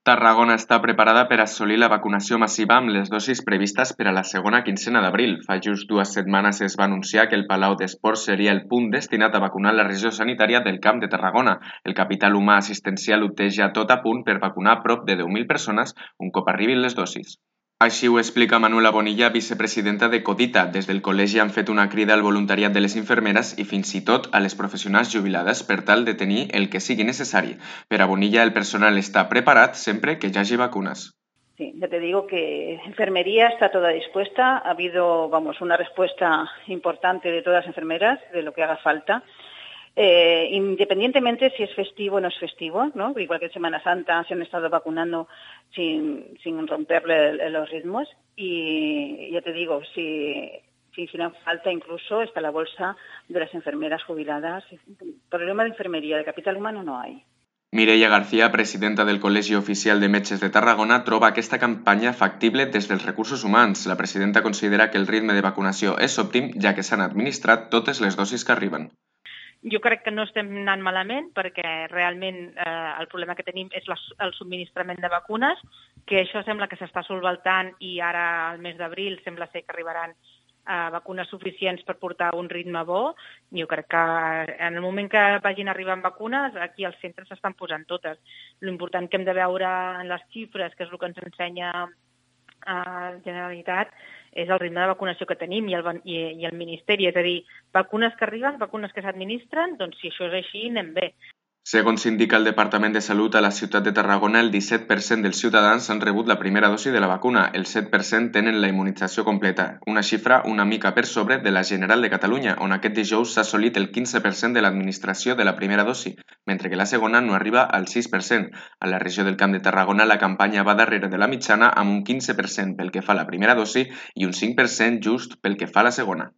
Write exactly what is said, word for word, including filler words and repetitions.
Tarragona està preparada per assolir la vacunació massiva amb les dosis previstes per a la segona quinzena d'abril. Fa just dues setmanes es va anunciar que el Palau d'Esports seria el punt destinat a vacunar la regió sanitària del Camp de Tarragona. El capital humà assistencial ho té ja tot a punt per vacunar prop de deu mil persones un cop arribin les dosis. Així ho explica Manuela Bonilla, vicepresidenta de Codita. Des del col·legi han fet una crida al voluntariat de les infermeres i fins i tot a les professionals jubilades per tal de tenir el que sigui necessari. Per a Bonilla, el personal està preparat sempre que hi hagi vacunes. Sí, ya te digo que enfermería está toda dispuesta. Ha habido, vamos, una respuesta importante de todas las enfermeras de lo que haga falta. Eh, independientemente si es festivo o no es festivo, ¿no? Igual que en Semana Santa se han estado vacunando sin, sin romperle los ritmos y ya te digo, si, si hicieran falta incluso está la bolsa de las enfermeras jubiladas. Problema de enfermería, de capital humano no hay. Mireia García, presidenta del Col·legi Oficial de Metges de Tarragona, troba aquesta campanya factible des dels recursos humans. La presidenta considera que el ritme de vacunació és òptim, ja que s'han administrat totes les dosis que arriben. Jo crec que no estem anant malament perquè realment eh, el problema que tenim és la, el subministrament de vacunes, que això sembla que s'està solventant i ara al mes d'abril sembla ser que arribaran eh, vacunes suficients per portar un ritme bo. Jo crec que en el moment que vagin arribant vacunes, aquí als centres s'estan posant totes. L'important que hem de veure en les xifres, que és el que ens ensenya la Generalitat, és el ritme de vacunació que tenim i el, i, i el Ministeri, és a dir, vacunes que arriben, vacunes que s'administren, doncs si això és així, anem bé. Segons indica el Departament de Salut, a la ciutat de Tarragona el disset per cent dels ciutadans han rebut la primera dosi de la vacuna, el set per cent tenen la immunització completa, una xifra una mica per sobre de la general de Catalunya, on aquest dijous s'ha assolit el quinze per cent de l'administració de la primera dosi, mentre que la segona no arriba al sis per cent. A la regió del Camp de Tarragona la campanya va darrere de la mitjana amb un quinze per cent pel que fa a la primera dosi i un cinc per cent just pel que fa a la segona.